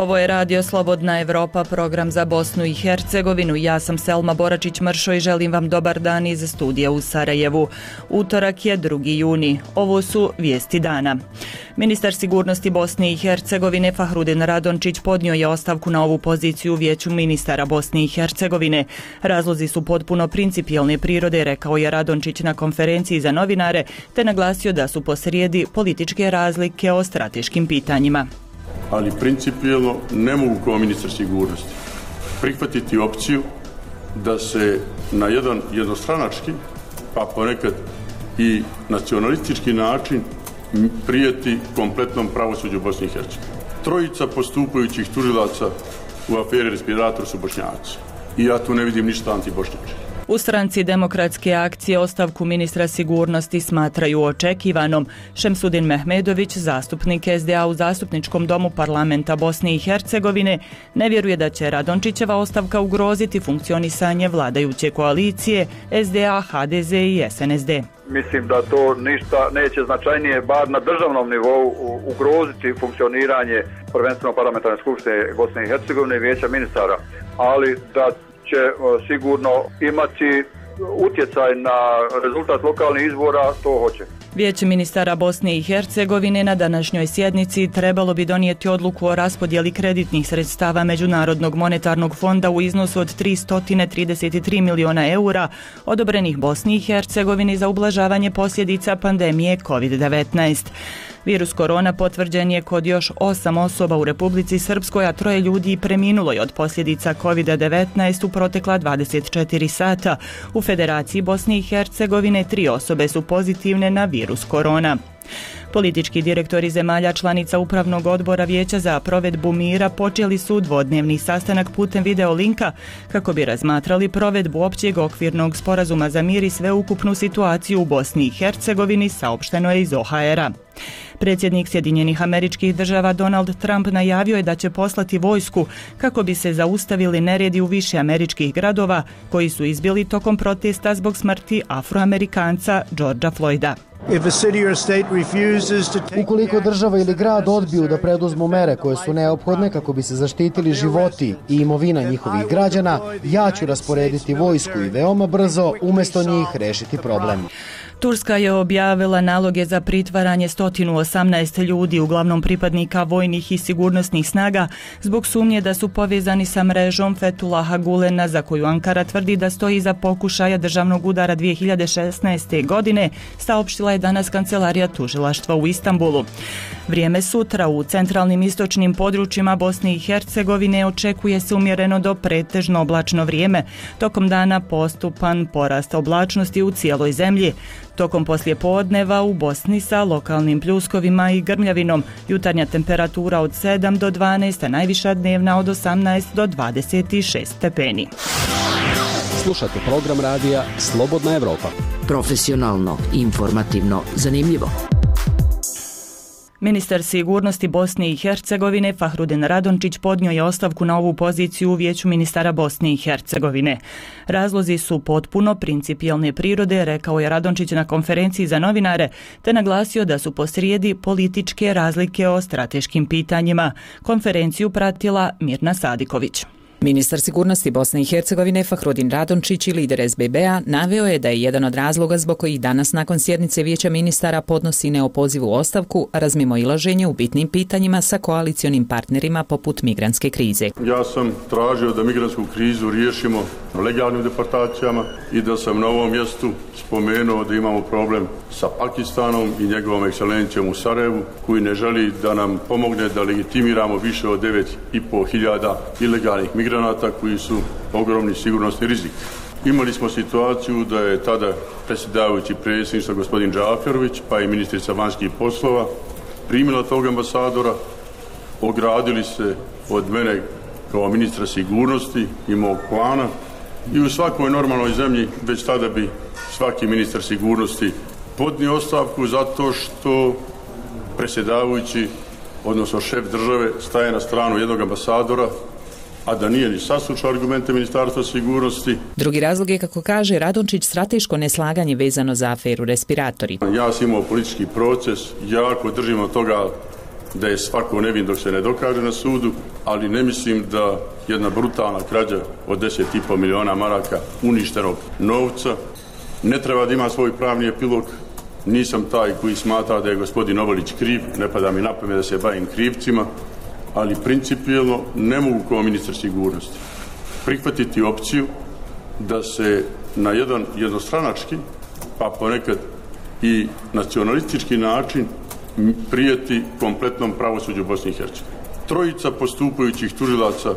Ovo je Radio Slobodna Evropa, program za Bosnu i Hercegovinu. Ja sam Selma Boračić-Mršo i želim vam dobar dan iz studija u Sarajevu. Utorak je 2. juni. Ovo su vijesti dana. Ministar sigurnosti Bosne i Hercegovine Fahrudin Radončić podnio je ostavku na ovu poziciju u Vijeću ministara Bosne i Hercegovine. Razlozi su potpuno principijelne prirode, rekao je Radončić na konferenciji za novinare, te naglasio da su posrijedi političke razlike o strateškim pitanjima. Ali principijelno ne mogu kao ministar sigurnosti prihvatiti opciju da se na jedan jednostranački, pa ponekad i nacionalistički način prijeti kompletnom pravosuđu Bosne i Hercegovine. Trojica postupajućih tužilaca u aferi Respirator su Bošnjaci. I ja tu ne vidim ništa antibošnjački. U stranci Demokratske akcije ostavku ministra sigurnosti smatraju očekivanom. Šemsudin Mehmedović, zastupnik SDA u Zastupničkom domu parlamenta Bosne i Hercegovine, ne vjeruje da će Radončićeva ostavka ugroziti funkcionisanje vladajuće koalicije SDA, HDZ i SNSD. Mislim da to ništa neće značajnije, bar na državnom nivou, ugroziti funkcioniranje prvenstveno parlamentarne skupštine Bosne i Hercegovine i Vijeća ministara, ali da će sigurno imati utjecaj na rezultat lokalnih izbora, to hoće. Vijeće ministara Bosne i Hercegovine na današnjoj sjednici trebalo bi donijeti odluku o raspodjeli kreditnih sredstava Međunarodnog monetarnog fonda u iznosu od 333 miliona eura odobrenih Bosni i Hercegovini za ublažavanje posljedica pandemije COVID-19. Virus korona potvrđen je kod još 8 osoba u Republici Srpskoj, a 3 ljudi preminulo je od posljedica COVID-19 u protekla 24 sata. U Federaciji Bosne i Hercegovine 3 osobe su pozitivne na virus korona. Politički direktori zemalja članica Upravnog odbora Vijeća za provedbu mira počeli su dvodnevni sastanak putem video linka kako bi razmatrali provedbu općeg okvirnog sporazuma za mir i sveukupnu situaciju u Bosni i Hercegovini, saopšteno je iz OHR-a. Predsjednik Sjedinjenih Američkih Država Donald Trump najavio je da će poslati vojsku kako bi se zaustavili neredi u više američkih gradova koji su izbili tokom protesta zbog smrti Afroamerikanca Georgea Floyda. Ukoliko država ili grad odbiju da preduzmu mere koje su neophodne kako bi se zaštitili životi i imovina njihovih građana, ja ću rasporediti vojsku i veoma brzo umjesto njih rešiti problem. Turska je objavila naloge za pritvaranje 118 ljudi, uglavnom pripadnika vojnih i sigurnosnih snaga, zbog sumnje da su povezani sa mrežom Fethullaha Gulena, za koju Ankara tvrdi da stoji iza pokušaja državnog udara 2016. godine, saopštila je danas kancelarija tužilaštva u Istanbulu. Vrijeme sutra u centralnim istočnim područjima Bosne i Hercegovine očekuje se umjereno do pretežno oblačno vrijeme. Tokom dana postupan porast oblačnosti u cijeloj zemlji. Tokom poslijepodneva u Bosni sa lokalnim pljuskovima i grmljavinom, jutarnja temperatura od 7 do 12, a najviša dnevna od 18 do 26 stepeni. Slušate program radija Slobodna Evropa. Profesionalno, informativno, zanimljivo. Ministar sigurnosti Bosne i Hercegovine Fahrudin Radončić podnio je ostavku na ovu poziciju u Vijeću ministara Bosne i Hercegovine. Razlozi su potpuno principijelne prirode, rekao je Radončić na konferenciji za novinare, te naglasio da su posrijedi političke razlike o strateškim pitanjima. Konferenciju pratila Mirna Sadiković. Ministar sigurnosti Bosne i Hercegovine Fahrudin Radončić i lider SBB-a naveo je da je jedan od razloga zbog kojih danas nakon sjednice Vijeća ministara podnosi neopozivu ostavku razmimoilaženje u bitnim pitanjima sa koalicionim partnerima poput migrantske krize. Ja sam tražio da migrantsku krizu riješimo legalnim deportacijama i da sam na ovom mjestu spomenuo da imamo problem sa Pakistanom i njegovom ekscelencijom u Sarajevu, koji ne želi da nam pomogne da legitimiramo više od 9.500 ilegalnih migranata koji su ogromni sigurnosni rizik. Imali smo situaciju da je tada predsjedavajući predsjedništva gospodin Džaferović, pa i ministrica vanjskih poslova, primila tog ambasadora, ogradili se od mene kao ministra sigurnosti i mog plana i u svakoj normalnoj zemlji već tada bi svaki ministar sigurnosti podnio ostavku zato što predsjedavajući, odnosno šef države, staje na stranu jednog ambasadora, a da nije ni saslušao argumente Ministarstva sigurnosti. Drugi razlog je, kako kaže Radončić, strateško neslaganje vezano za aferu Respiratori. Ja sam imao politički proces, jako držim od toga da je svako nevin dok se ne dokaže na sudu, ali ne mislim da jedna brutalna krađa od 10,5 miliona maraka uništenog novca ne treba da ima svoj pravni epilog. Nisam taj koji smatra da je gospodin Novalić kriv, ne pada mi na pamet da se bavim krivcima, ali principijelno ne mogu kao ministar sigurnosti prihvatiti opciju da se na jedan jednostranački, pa ponekad i nacionalistički način prijeti kompletnom pravosuđu Bosne i Hercegovine. Trojica postupajućih tužilaca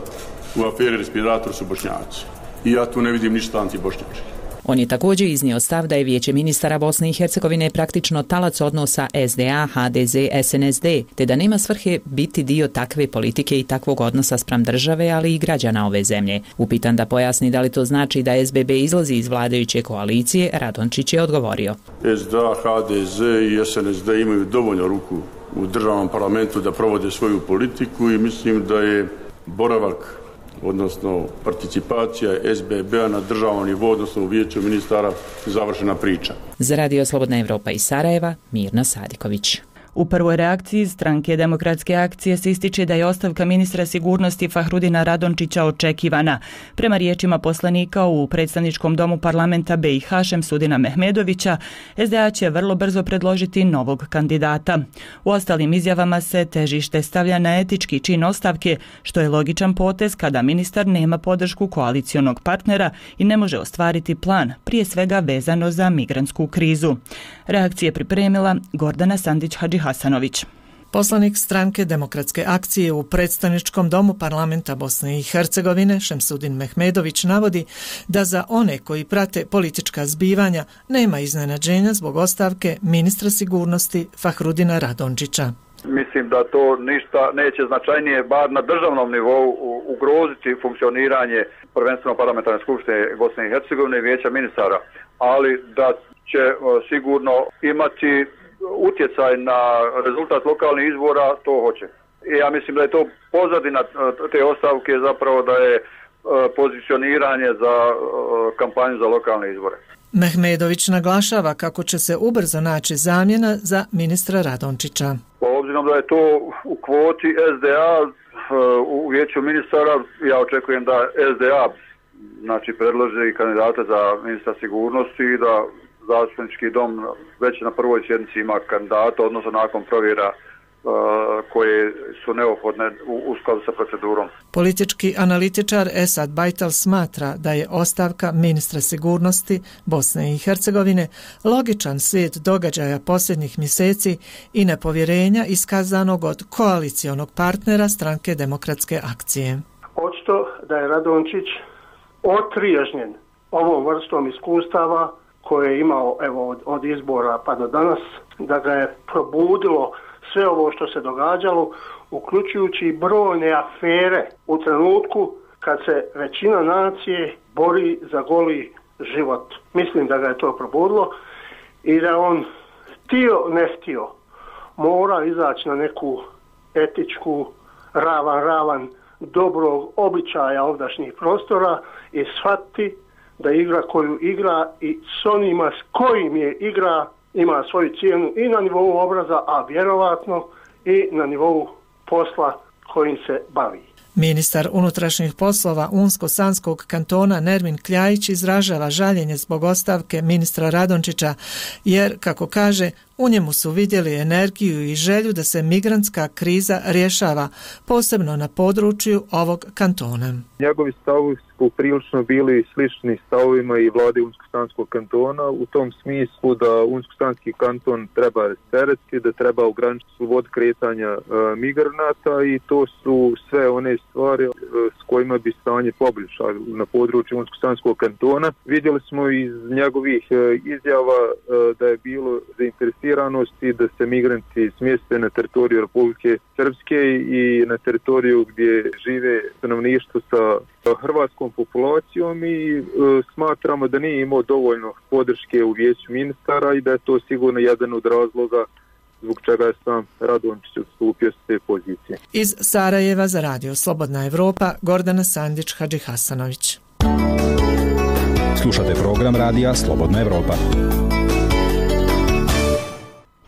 u aferi Respirator su Bošnjaci. I ja tu ne vidim ništa antibošnjački. On je također iznio stav da je Vijeće ministara Bosne i Hercegovine praktično talac odnosa SDA, HDZ, SNSD, te da nema svrhe biti dio takve politike i takvog odnosa spram države, ali i građana ove zemlje. Upitan da pojasni da li to znači da SBB izlazi iz vladajuće koalicije, Radončić je odgovorio. SDA, HDZ i SNSD imaju dovoljno ruku u državnom parlamentu da provode svoju politiku i mislim da je boravak odnosno participacija SBB-a na državnom nivou, odnosno u Vijeću ministara, završena priča. Za Radio Slobodna Evropa iz Sarajeva, Mirna Sadiković. U prvoj reakciji Stranke demokratske akcije se ističe da je ostavka ministra sigurnosti Fahrudina Radončića očekivana. Prema riječima poslanika u predstavničkom domu parlamenta BiH Šemsudina Mehmedovića, SDA će vrlo brzo predložiti novog kandidata. U ostalim izjavama se težište stavlja na etički čin ostavke, što je logičan potez kada ministar nema podršku koalicionog partnera i ne može ostvariti plan, prije svega vezano za migrantsku krizu. Reakcije pripremila Gordana Sandić-Hadžihasanović. Poslanik Stranke demokratske akcije u predstavničkom domu parlamenta Bosne i Hercegovine Šemsudin Mehmedović navodi da za one koji prate politička zbivanja nema iznenađenja zbog ostavke ministra sigurnosti Fahrudina Radončića. Mislim da to ništa neće značajnije, bar na državnom nivou, ugroziti funkcioniranje prvenstveno parlamentarne skupštine Bosne i Hercegovine i Vijeća ministara, ali da će sigurno imati utjecaj na rezultat lokalnih izbora, to hoće. I ja mislim da je to pozadina te ostavke, zapravo da je pozicioniranje za kampanju za lokalne izbore. Mehmedović naglašava kako će se ubrzo naći zamjena za ministra Radončića. Obzirom da je to u kvoti SDA u Vijeću ministara, ja očekujem da SDA predloži kandidate za ministra sigurnosti i da zastupnički dom već na prvoj sjednici ima kandidata, odnosno nakon provjera koje su neophodne u skladu sa procedurom. Politički analitičar Esad Bajtal smatra da je ostavka ministra sigurnosti Bosne i Hercegovine logičan slijed događaja posljednjih mjeseci i nepovjerenja iskazanog od koalicionog partnera Stranke demokratske akcije. Očito da je Radončić otriježnjen ovom vrstom iskustava koje je imao od izbora pa do danas, da ga je probudilo sve ovo što se događalo, uključujući brojne afere u trenutku kad se većina nacije bori za goli život. Mislim da ga je to probudilo i da on htio ne htio mora izaći na neku etičku ravan dobrog običaja ovdašnjih prostora i shvatiti da igra koju igra i s onima s kojim je igra ima svoju cijenu i na nivou obraza, a vjerovatno i na nivou posla kojim se bavi. Ministar unutrašnjih poslova Unsko-Sanskog kantona Nermin Kljajić izražava žaljenje zbog ostavke ministra Radončića, jer, kako kaže, u njemu su vidjeli energiju i želju da se migrantska kriza rješava, posebno na području ovog kantona. Njegovi stavovi su prilično bili slični stavovima i vlade Unsko-Sanskog kantona, u tom smislu da Unsko-Sanski kanton treba rasteretiti, da treba ograničiti slobodu kretanja migranata i to su sve one stvari s kojima bi stanje poboljšalo na području Unsko-Sanskog kantona. Vidjeli smo iz njegovih izjava da je bilo zainteresiranosti da se migranti smjeste na teritoriju Republike Srpske i na teritoriju gdje žive stanovništvo sa hrvatskom populacijom i smatramo da nije imao dovoljno podrške u Vijeću ministara i da je to sigurno jedan od razloga zbog čega je sam Radončić odstupio s te pozicije. Iz Sarajeva za Radio Slobodna Evropa, Gordana Sandić-Hadžihasanović. Slušate program Radija Slobodna Evropa.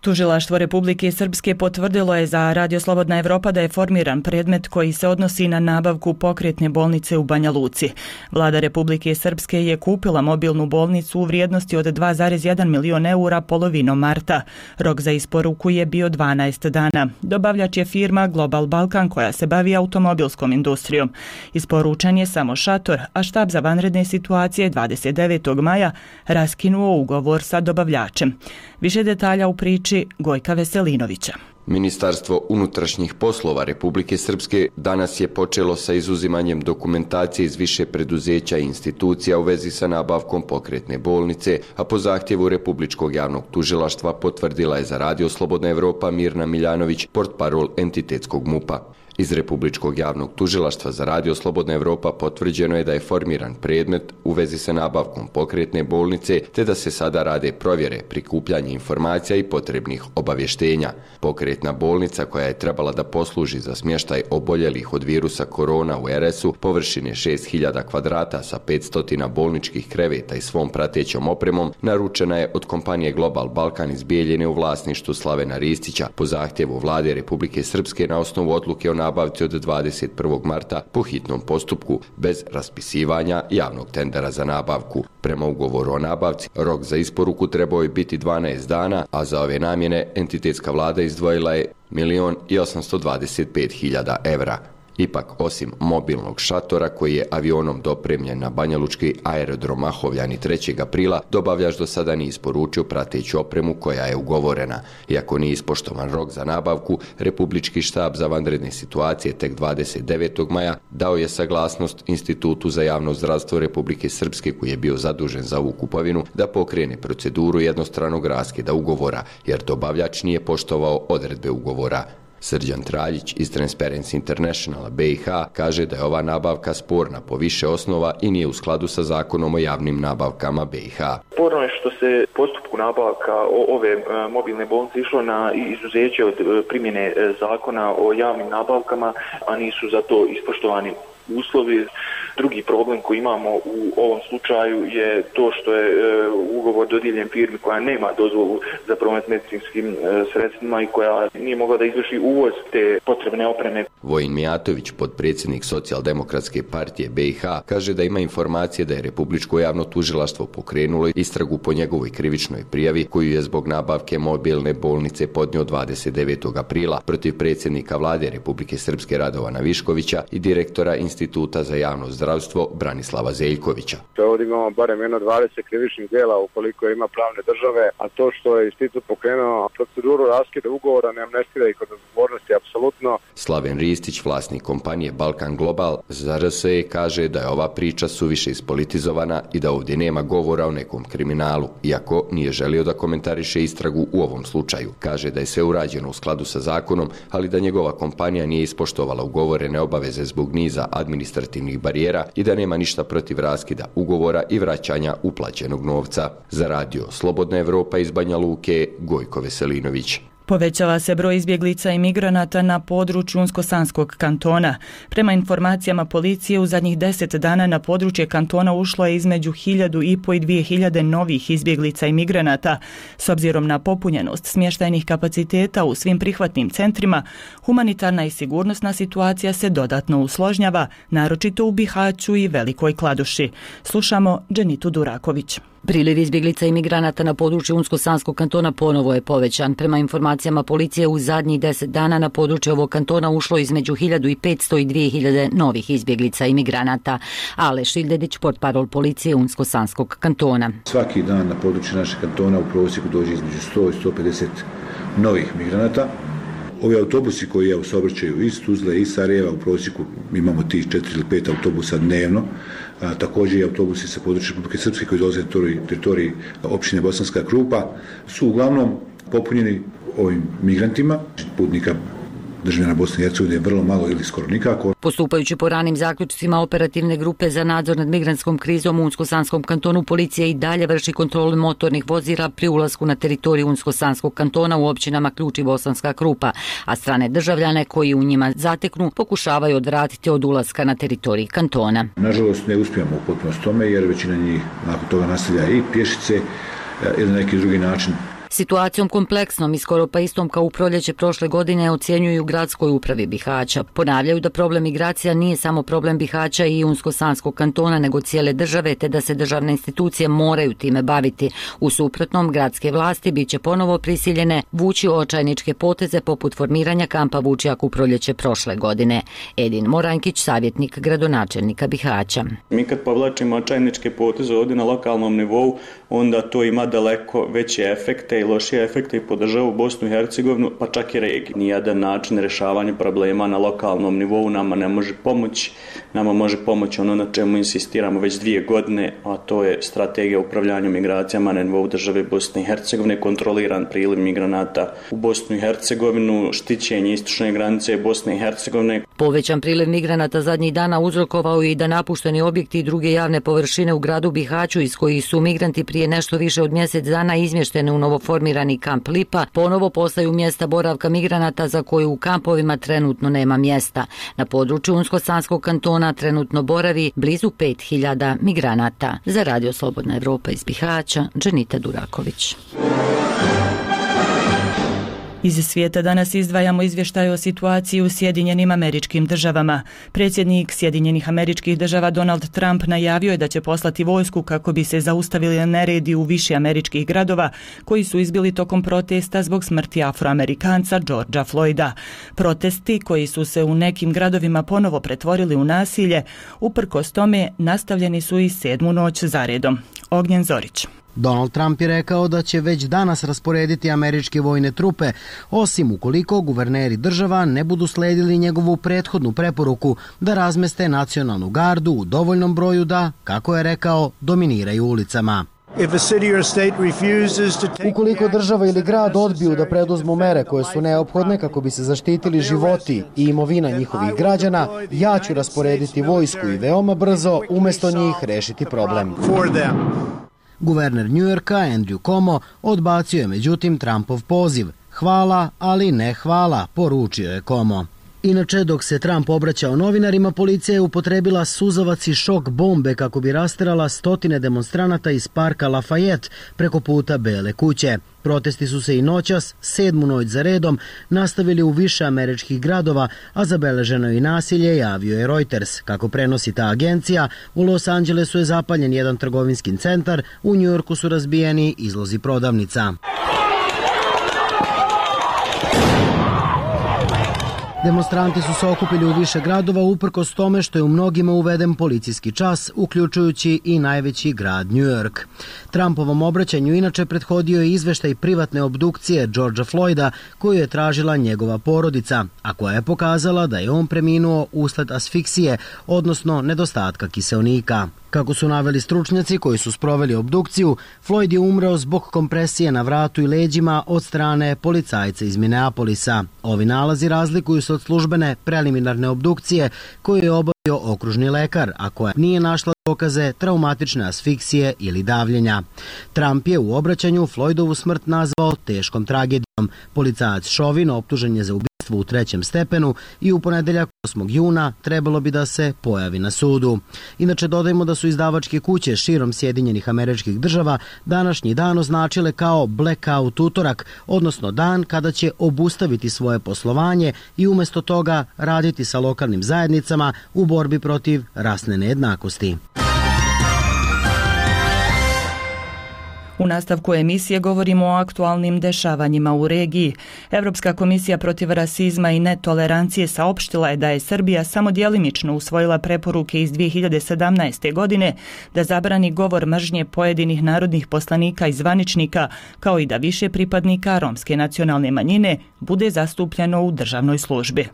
Tužilaštvo Republike Srpske potvrdilo je za Radio Slobodna Evropa da je formiran predmet koji se odnosi na nabavku pokretne bolnice u Banja Luci. Vlada Republike Srpske je kupila mobilnu bolnicu u vrijednosti od 2,1 milion eura polovinom marta. Rok za isporuku je bio 12 dana. Dobavljač je firma Global Balkan koja se bavi automobilskom industrijom. Isporučen je samo šator, a štab za vanredne situacije 29. maja raskinuo ugovor sa dobavljačem. Više detalja u priči Gojka Veselinovića. Ministarstvo unutrašnjih poslova Republike Srpske danas je počelo sa izuzimanjem dokumentacije iz više preduzeća i institucija u vezi sa nabavkom pokretne bolnice, a po zahtjevu Republičkog javnog tužilaštva potvrdila je za Radio Slobodna Evropa Mirna Miljanović, portparol entitetskog MUP-a. Iz Republičkog javnog tužilaštva za Radio Slobodna Evropa potvrđeno je da je formiran predmet u vezi sa nabavkom pokretne bolnice, te da se sada rade provjere, prikupljanje informacija i potrebnih obavještenja. Pokretna bolnica koja je trebala da posluži za smještaj oboljelih od virusa korona u RS-u, površine 6000 kvadrata sa 500 bolničkih kreveta i svom pratećom opremom, naručena je od kompanije Global Balkan iz Bijeljine u vlasništvu Slavena Ristića po zahtjevu Vlade Republike Srpske na osnovu odluke o nabavci od 21. marta po hitnom postupku bez raspisivanja javnog tendera za nabavku. Prema ugovoru o nabavci, rok za isporuku trebao je biti 12 dana, a za ove namjene entitetska vlada izdvojila je 1.825.000 evra. Ipak, osim mobilnog šatora koji je avionom dopremljen na banjalučki aerodrom Mahovljani 3. aprila, dobavljač do sada nije isporučio prateću opremu koja je ugovorena. Iako nije ispoštovan rok za nabavku, Republički štab za vanredne situacije tek 29. maja dao je saglasnost Institutu za javno zdravstvo Republike Srpske koji je bio zadužen za ovu kupovinu da pokrene proceduru jednostranog raskida ugovora, jer dobavljač nije poštovao odredbe ugovora. Srđan Traljić iz Transparency Internationala BiH kaže da je ova nabavka sporna po više osnova i nije u skladu sa zakonom o javnim nabavkama BiH. Sporno je što se postupku nabavka ove mobilne bolnice išlo na izuzeće od primjene zakona o javnim nabavkama, a nisu za to ispoštovani uslovi. Drugi problem koji imamo u ovom slučaju je to što je ugovor dodijeljen firmi koja nema dozvolu za promet medicinskim sredstvima i koja nije mogla da izvrši uvoz te potrebne opreme. Vojin Mijatović, potpredsjednik Socijaldemokratske partije BiH, kaže da ima informacije da je Republičko javno tužilaštvo pokrenulo istragu po njegovoj krivičnoj prijavi koju je zbog nabavke mobilne bolnice podnio 29. aprila protiv predsjednika vlade Republike Srpske Radovana Viškovića i direktora Instituta za javno zdravstvo Branislava Zeljkovića. Ovdje imamo barem 20 krivičnih djela ukoliko ima pravne države, a to što je institut pokrenuo proceduru raskida ugovora ne amnestira ih od odgovornosti apsolutno. Slaven Ristić, vlasnik kompanije Balkan Global, za RSE kaže da je ova priča suviše ispolitizovana i da ovdje nema govora o nekom kriminalu, iako nije želio da komentariše istragu u ovom slučaju. Kaže da je sve urađeno u skladu sa zakonom, ali da njegova kompanija nije ispoštovala ugovorene obaveze zbog niza administrativnih barijera i da nema ništa protiv raskida ugovora i vraćanja uplaćenog novca. Za Radio Slobodna Evropa iz Banja Luke, Gojko Veselinović. Povećava se broj izbjeglica i migranata na području Unsko-Sanskog kantona. Prema informacijama policije, u zadnjih 10 dana na područje kantona ušlo je između 1.500 i 2.000 novih izbjeglica i migranata. S obzirom na popunjenost smještajnih kapaciteta u svim prihvatnim centrima, humanitarna i sigurnosna situacija se dodatno usložnjava, naročito u Bihaću i Velikoj Kladuši. Slušamo Dženitu Duraković. Priliv izbjeglica i migranata na području Unsko-Sanskog kantona ponovo je povećan. Prema informacijama policije, u zadnjih 10 dana na područje ovog kantona ušlo između 1.500 i 2.000 novih izbjeglica i migranata. Ale Šildedić, portparol policije Unsko-Sanskog kantona. Svaki dan na području našeg kantona u prosjeku dođe između 100 i 150 novih migranata. Ovi autobusi koji saobraćaju iz Tuzle i Sarajeva, u prosjeku imamo tih 4 ili 5 autobusa dnevno. Također i autobusi sa područja Republike Srpske koji dolaze na teritoriji općine Bosanska Krupa su uglavnom popunjeni ovim migrantima, putnika državljana Bosne i Hercegovine je vrlo malo ili skoro nikako. Postupajući po ranim zaključcima operativne grupe za nadzor nad migrantskom krizom u Unsko-Sanskom kantonu, policija i dalje vrši kontrolu motornih vozila pri ulasku na teritoriju Unsko-Sanskog kantona u općinama Ključ i Bosanska Krupa, a strane državljane koji u njima zateknu pokušavaju odvratiti od ulaska na teritoriji kantona. Nažalost ne uspijemo u potpunosti tome jer većina njih nakon toga nastavlja i pješice ili na neki drugi način Situacijom kompleksnom i skoro pa istom kao u proljeće prošle godine ocjenjuju u gradskoj upravi Bihaća. Ponavljaju da problem migracija nije samo problem Bihaća i Unsko-Sanskog kantona, nego cijele države, te da se državne institucije moraju time baviti. U suprotnom, gradske vlasti biće ponovo prisiljene vući očajničke poteze poput formiranja kampa Vučjak u proljeće prošle godine. Edin Morankić, savjetnik gradonačelnika Bihaća. Mi kad povlačimo očajničke poteze ovdje na lokalnom nivou, onda to ima daleko veće efekte i lošije efekte i po državu Bosnu i Hercegovinu, pa čak i regiju. Nijedan način rješavanja problema na lokalnom nivou nama ne može pomoći. Nama može pomoći ono na čemu insistiramo već 2 godine, a to je strategija upravljanja migracijama na nivou države Bosne i Hercegovine, kontroliran priliv migranata u Bosnu i Hercegovinu, štićenje istočne granice Bosne i Hercegovine. Povećan priliv migranata zadnjih dana uzrokovao i da napušteni objekti i druge javne površine u gradu Bihaću, iz kojih su migranti prije nešto više od mjesec dana izmješteni u novoformirani kamp Lipa, ponovo postaju mjesta boravka migranata za koje u kampovima trenutno nema mjesta. Na području Unsko-Sanskog kantona trenutno boravi blizu 5000 migranata. Za Radio Slobodna Evropa iz Bihaća, Dženita Duraković. Iz svijeta danas izdvajamo izvještaj o situaciji u Sjedinjenim Američkim Državama. Predsjednik Sjedinjenih Američkih Država Donald Trump najavio je da će poslati vojsku kako bi se zaustavili neredi u više američkih gradova koji su izbili tokom protesta zbog smrti Afroamerikanca Georgea Floyda. Protesti koji su se u nekim gradovima ponovo pretvorili u nasilje, uprkos tome nastavljeni su i 7. noć zaredom. Ognjen Zorić. Donald Trump je rekao da će već danas rasporediti američke vojne trupe, osim ukoliko guverneri država ne budu sledili njegovu prethodnu preporuku da razmeste nacionalnu gardu u dovoljnom broju da, kako je rekao, dominiraju ulicama. Ukoliko država ili grad odbiju da preduzmu mere koje su neophodne kako bi se zaštitili životi i imovina njihovih građana, ja ću rasporediti vojsku i veoma brzo umjesto njih rešiti problem. Guverner Njujorka Andrew Cuomo odbacio je međutim Trumpov poziv. Hvala, ali ne hvala, poručio je Cuomo. Inače, dok se Trump obraćao novinarima, policija je upotrebila suzavac i šok bombe kako bi rasterala stotine demonstranata iz parka Lafayette preko puta Bele kuće. Protesti su se i noćas, 7. noć za redom, nastavili u više američkih gradova, a zabeleženo je i nasilje, javio je Reuters. Kako prenosi ta agencija, u Los Angelesu je zapaljen jedan trgovinski centar, u Njujorku su razbijeni izlozi prodavnica. Demonstranti su se okupili u više gradova uprkos tome što je u mnogima uveden policijski čas, uključujući i najveći grad New York. Trumpovom obraćanju inače prethodio je izveštaj privatne obdukcije Georgea Floyda koju je tražila njegova porodica, a koja je pokazala da je on preminuo usled asfiksije, odnosno nedostatka kiseonika. Kako su naveli stručnjaci koji su sproveli obdukciju, Floyd je umreo zbog kompresije na vratu i leđima od strane policajca iz Minneapolisa. Ovi nalazi razlikuju se od službene preliminarne obdukcije koju je obavio okružni lekar, a koja nije našla dokaze traumatične asfiksije ili davljenja. Trump je u obraćanju Floydovu smrt nazvao teškom tragedijom. Policajac Chauvin optužen je za ubistvo u 3. stepenu i u ponedeljak 8. juna trebalo bi da se pojavi na sudu. Inače, dodajmo da su izdavačke kuće širom Sjedinjenih Američkih Država današnji dan označile kao blackout utorak, odnosno dan kada će obustaviti svoje poslovanje i umjesto toga raditi sa lokalnim zajednicama u borbi protiv rasne nejednakosti. U nastavku emisije govorimo o aktualnim dešavanjima u regiji. Europska komisija protiv rasizma i netolerancije saopštila je da je Srbija samo djelimično usvojila preporuke iz 2017. godine da zabrani govor mržnje pojedinih narodnih poslanika i zvaničnika, kao i da više pripadnika romske nacionalne manjine bude zastupljeno u državnoj službi.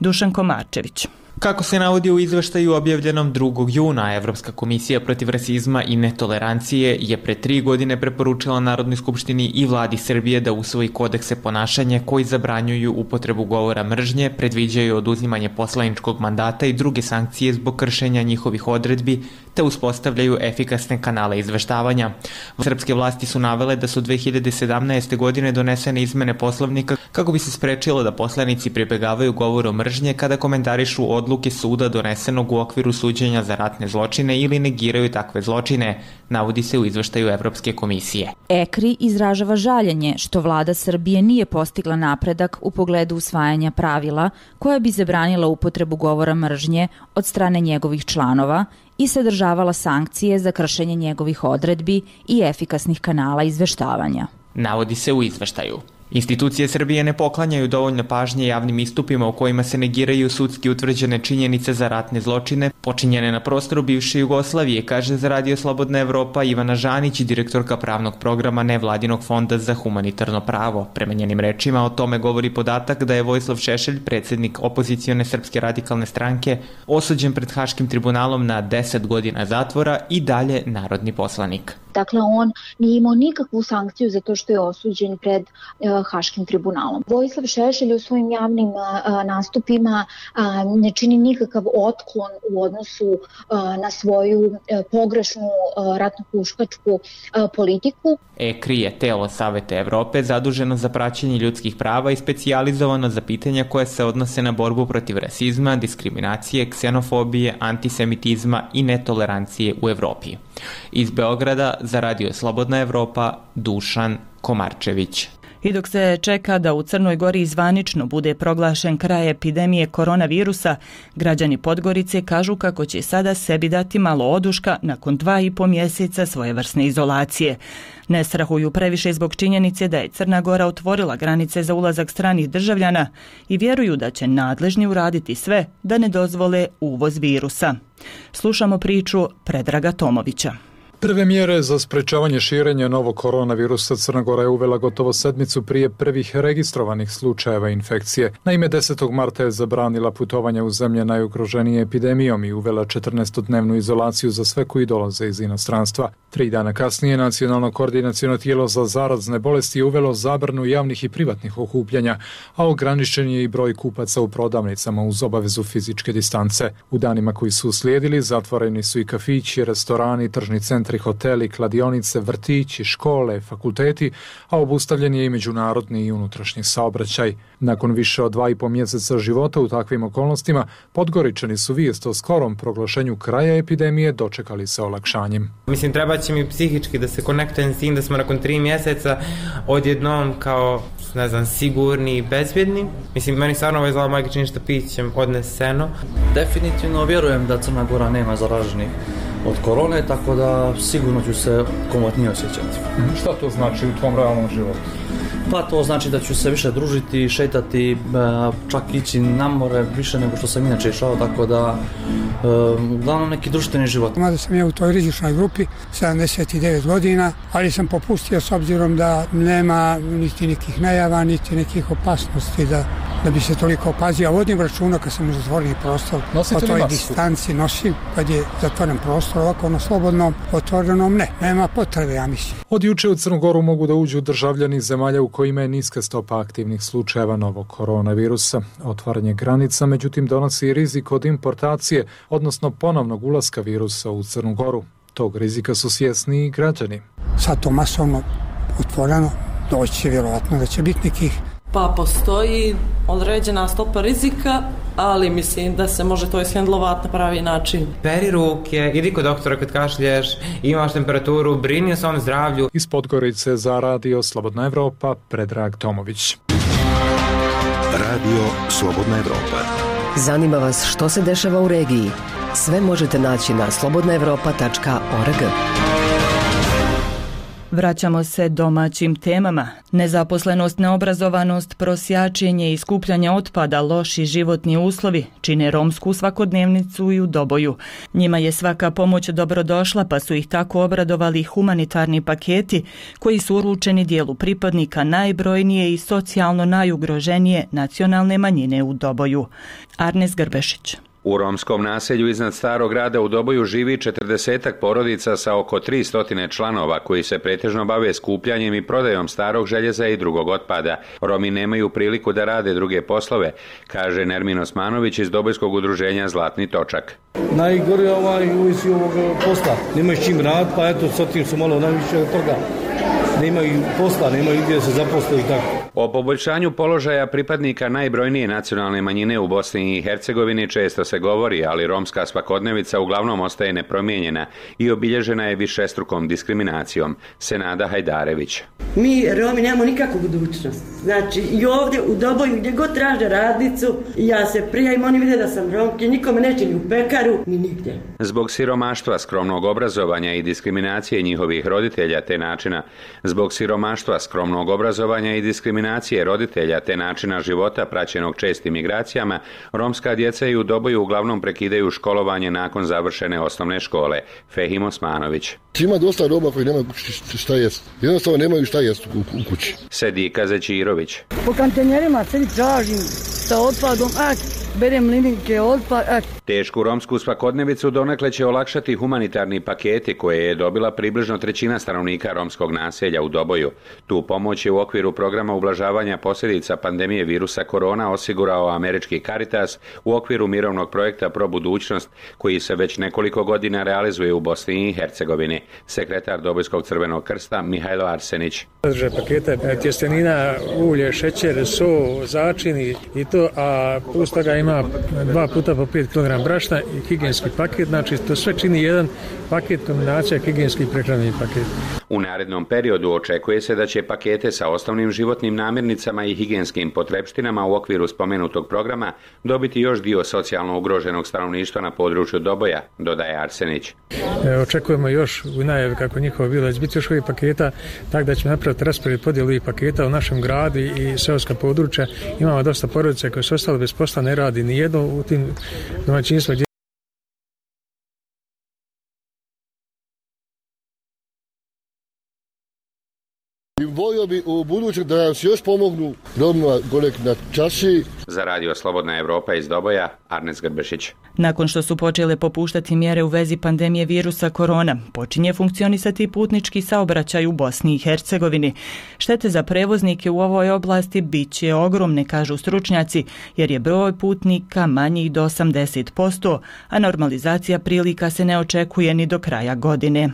Dušan Komarčević. Kako se navodi u izveštaju objavljenom 2. juna, Evropska komisija protiv rasizma i netolerancije je pre 3 godine preporučila Narodnoj skupštini i vladi Srbije da usvoji kodekse ponašanja koji zabranjuju upotrebu govora mržnje, predviđaju oduzimanje poslaničkog mandata i druge sankcije zbog kršenja njihovih odredbi, te uspostavljaju efikasne kanale izveštavanja. Srpske vlasti su navele da su 2017. godine donesene izmene Poslovnika kako bi se sprečilo da poslanici pribegavaju govoru mržnje kada komentarišu odluke suda donesenog u okviru suđenja za ratne zločine ili negiraju takve zločine. navodi se u izveštaju Evropske komisije. ECRI izražava žaljenje što vlada Srbije nije postigla napredak u pogledu usvajanja pravila koja bi zabranila upotrebu govora mržnje od strane njegovih članova i sadržavala sankcije za kršenje njegovih odredbi i efikasnih kanala izveštavanja. Navodi se u izveštaju. Institucije Srbije ne poklanjaju dovoljno pažnje javnim istupima u kojima se negiraju sudski utvrđene činjenice za ratne zločine počinjene na prostoru bivše Jugoslavije, kaže za Radio Slobodna Evropa Ivana Žanić, direktorka pravnog programa Nevladinog fonda za humanitarno pravo. Prema njenim rečima o tome govori podatak da je Vojislav Šešelj, predsjednik opozicione Srpske radikalne stranke, osuđen pred Haškim tribunalom na 10 godina zatvora i dalje narodni poslanik. Dakle, on nije imao nikakvu sankciju za to što je osuđen pred Haškim tribunalom. Vojislav Šešelj u svojim javnim nastupima ne čini nikakav otklon u odnosu na svoju pogrešnu ratno-huškačku politiku. ECRI je telo Saveta Evrope zaduženo za praćenje ljudskih prava i specijalizovano za pitanja koje se odnose na borbu protiv rasizma, diskriminacije, ksenofobije, antisemitizma i netolerancije u Evropi. Iz Beograda za Radio Slobodna Evropa, Dušan Komarčević. I dok se čeka da u Crnoj Gori zvanično bude proglašen kraj epidemije koronavirusa, građani Podgorice kažu kako će sada sebi dati malo oduška nakon 2,5 mjeseca svojevrsne izolacije. Ne strahuju previše zbog činjenice da je Crna Gora otvorila granice za ulazak stranih državljana i vjeruju da će nadležni uraditi sve da ne dozvole uvoz virusa. Slušamo priču Predraga Tomovića. Prve mjere za sprečavanje širenja novog koronavirusa Crna Gora je uvela gotovo sedmicu prije prvih registrovanih slučajeva infekcije. Naime, 10. marta je zabranila putovanja u zemlje najugroženije epidemijom i uvela 14-dnevnu izolaciju za sve koji dolaze iz inostranstva. 3 dana kasnije Nacionalno koordinaciono tijelo za zarazne bolesti je uvelo zabranu javnih i privatnih okupljanja, a ograničen je i broj kupaca u prodavnicama uz obavezu fizičke distance. U danima koji su uslijedili zatvoreni su i kafići, restorani, tržni centri, hoteli, kladionice, vrtići, škole, fakulteti, a obustavljen je i međunarodni i unutrašnji saobraćaj. Nakon više od 2,5 mjeseca života u takvim okolnostima, Podgoričani su vijest o skorom proglašenju kraja epidemije dočekali sa olakšanjem. Mislim, treba će mi psihički da se konektujem s tim da smo nakon 3 mjeseca odjednom kao, ne znam, sigurni i bezbjedni. Mislim, meni stvarno ovo izgleda majke čini što pićem odneseno. Definitivno vjerujem da Crna Gora nema zaraženih od korone, tako da sigurno ću se komotnije osjećati. Šta to znači u tvom realnom životu? Pa to znači da ću se više družiti, šetati, čak ići na more više nego što sam inače išao, tako da uglavnom neki društveni život. Mada sam ja u toj rizičnoj grupi, 79 godina, ali sam popustio s obzirom da nema niti nekih najava, niti nekih opasnosti da bi se toliko opazio. Vodim računa kad sam u zatvoreni prostor, o toj distanci nosim, kad je zatvoren prostor, ovako na slobodnom, otvorenom nema potrebe, ja mislim. Od juče u Crnu Goru mogu da uđu državljani zemalja u kojima je niska stopa aktivnih slučajeva novog koronavirusa. Otvaranje granica, međutim, donosi i rizik od importacije, odnosno ponovnog ulaska virusa u Crnu Goru. Tog rizika su svjesni i građani. Sad to masovno otvoreno, doći će vjerovatno da će biti nekih. Pa postoji određena stopa rizika, ali mislim da se može to ishendlovati na pravi način. Peri ruke, idi kod doktora kad kašlješ, imaš temperaturu, brini o svom zdravlju. Iz Podgorice za Radio Slobodna Evropa, Predrag Tomović. Radio Slobodna Evropa. Zanima vas što se dešava u regiji? Sve možete naći na slobodnaevropa.org. Vraćamo se domaćim temama. Nezaposlenost, neobrazovanost, prosjačenje i skupljanje otpada, loši životni uslovi čine romsku svakodnevnicu i u Doboju. Njima je svaka pomoć dobrodošla, pa su ih tako obradovali humanitarni paketi koji su uručeni dijelu pripadnika najbrojnije i socijalno najugroženije nacionalne manjine u Doboju. Arnes Grbešić. U romskom naselju iznad Starog grada u Doboju živi 40 porodica sa oko 300 članova koji se pretežno bave skupljanjem i prodajom starog željeza i drugog otpada. Romi nemaju priliku da rade druge poslove, kaže Nermin Osmanović iz Dobojskog udruženja Zlatni točak. Najgore uvijek ovog posla. Nemaju s čim rad, pa eto, sad tim su malo najviše od toga. Nemaju posla, nemaju gdje se zaposle i tako. O poboljšanju položaja pripadnika najbrojnije nacionalne manjine u Bosni i Hercegovini često se govori, ali romska svakodnevica uglavnom ostaje nepromijenjena i obilježena je višestrukom diskriminacijom. Senada Hajdarević. Mi Romi nemamo nikakvu budućnost. Znači i ovdje u Doboju gdje god traže radnicu, ja se prijavim, oni vide da sam Romki, nikome neće ni u pekaru, ni nigdje. Zbog siromaštva, skromnog obrazovanja i diskriminacije njihovih roditelja te načina, života praćenog čestim migracijama, romska djeca i u Doboju uglavnom prekidaju školovanje nakon završene osnovne škole. Fehim Osmanović. Ima dosta Roma koji nemaju šta jest. Jednostavno nemaju šta jest u kući. Sedika Zećirović. Po kantenjerima sedi tražim sa otpadom, berem linike, otpad, Tešku romsku svakodnevicu donekle će olakšati humanitarni paketi koje je dobila približno 1/3 stanovnika romskog naselja u Doboju. Tu pomoć je u okviru programa ublažavanja posljedica pandemije virusa korona osigurao američki Caritas u okviru mirovnog projekta Pro budućnost koji se već nekoliko godina realizuje u Bosni i Hercegovini. Sekretar Dobojskog crvenog krsta Mihajlo Arsenić. Sadržaj paketa tjestenina, ulje, šećer, so, začini i to, a plus toga ima 2 puta po 5 kg brašna i higijenski paket, znači to sve čini jedan paket, kombinacija higijenski i prehrambeni paket. U narednom periodu očekuje se da će pakete sa osnovnim životnim namirnicama i higijenskim potrepštinama u okviru spomenutog programa dobiti još dio socijalno ugroženog stanovništva na području Doboja, dodaje Arsenić. Očekujemo još u najavi kako njihovo bilo će biti još ovih paketa, tako da ćemo napraviti raspored podjelu ovih paketa u našem gradu i seoska područja. Imamo dosta porodice koje su ostale bez posla, ne radi ni jedno u tim domaćinstvima. Volio bi u budućem da nam se još pomognu Romima gore na čaši. Za Radio Slobodna Evropa iz Doboja, Arnes Grbešić. Nakon što su počele popuštati mjere u vezi pandemije virusa korona, počinje funkcionisati putnički saobraćaj u Bosni i Hercegovini. Štete za prevoznike u ovoj oblasti bit će ogromne, kažu stručnjaci, jer je broj putnika manji do 80%, a normalizacija prilika se ne očekuje ni do kraja godine.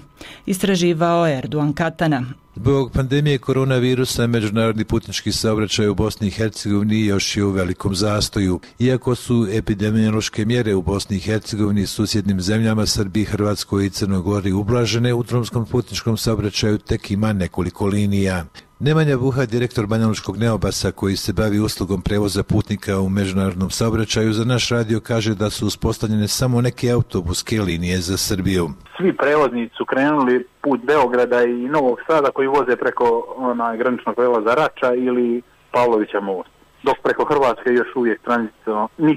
Istraživao Erduan Katana. Zbog pandemije koronavirusa, međunarodni putnički saobraćaj u Bosni i Hercegovini još je u velikom zastoju. Iako su epidemiološke mjere u Bosni i Hercegovini, susjednim zemljama Srbiji, Hrvatskoj i Crnoj Gori ublažene, u drumskom putničkom saobraćaju tek ima nekoliko linija. Nemanja Buha, direktor Banjalučkog Neobasa koji se bavi uslugom prevoza putnika u međunarodnom saobraćaju, za naš radio kaže da su uspostavljene samo neke autobuske linije za Srbiju. Svi prevoznici su krenuli put Beograda i Novog Sada koji voze preko graničnog prelaza Rača ili Pavlovića most. Dok preko Hrvatske još uvijek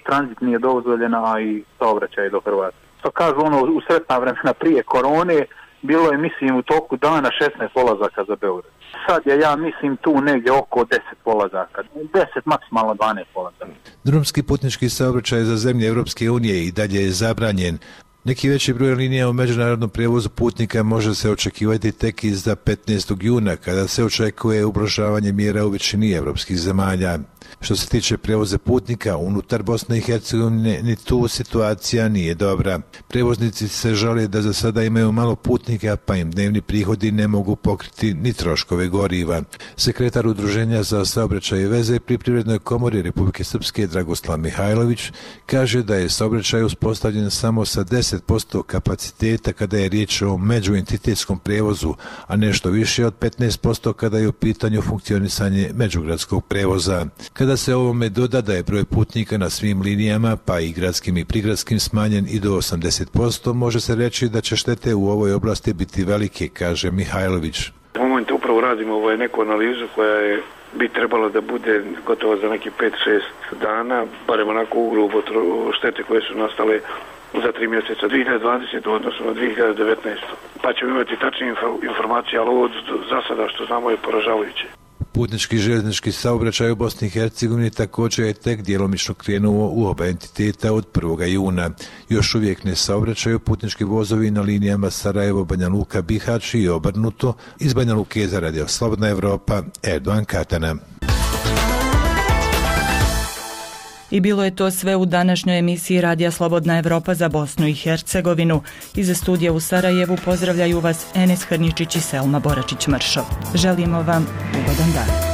tranzit nije dozvoljena, a i saobraćaj do Hrvatske. To kažu u sretna vremena prije korone, bilo je, mislim, u toku dana 16 polazaka za Beograd. Sad je, ja mislim, tu negdje oko 10 polazaka. 10, maksimalno 12 polazaka. Drumski putnički saobraćaj za zemlje Europske unije i dalje je zabranjen. Neki veći broj linija u međunarodnom prijevozu putnika može se očekivati tek iza 15. juna, kada se očekuje ublažavanje mjera u većini evropskih zemalja. Što se tiče prijevoza putnika unutar Bosne i Hercegovine, ni tu situacija nije dobra. Prijevoznici se žale da za sada imaju malo putnika, pa im dnevni prihodi ne mogu pokriti ni troškove goriva. Sekretar Udruženja za saobraćaj i veze pri Privrednoj komori Republike Srpske Dragoslav Mihajlović kaže da je saobraćaj uspostavljen samo sa 10% kapaciteta kada je riječ o međuentitetskom prijevozu, a nešto više od 15% kada je u pitanju funkcionisanje međugradskog prijevoza. Kada se ovome doda da je broj putnika na svim linijama, pa i gradskim i prigradskim, smanjen i do 80%, može se reći da će štete u ovoj oblasti biti velike, kaže Mihajlović. U momentu upravo radimo neku analizu koja bi trebalo da bude gotovo za neki 5-6 dana, barem onako ugrubo štete koje su nastale za 3 mjeseca 2020. odnosno na 2019. Pa ćemo imati tačne informacije, ali ovo za sada što znamo je poražavajuće. Putnički željeznički saobraćaj u Bosni i Hercegovini također je tek djelomično krenuo u oba entiteta od 1. juna. Još uvijek ne saobraćaju putnički vozovi na linijama Sarajevo, Banja Luka, Bihać i obrnuto. Iz Banja Luke za Radio Slobodna Evropa, Erdogan Katana. I bilo je to sve u današnjoj emisiji Radija Slobodna Evropa za Bosnu i Hercegovinu. Iz studija u Sarajevu pozdravljaju vas Enes Hrničić i Selma Boračić-Mršov. Želimo vam ugodan dan.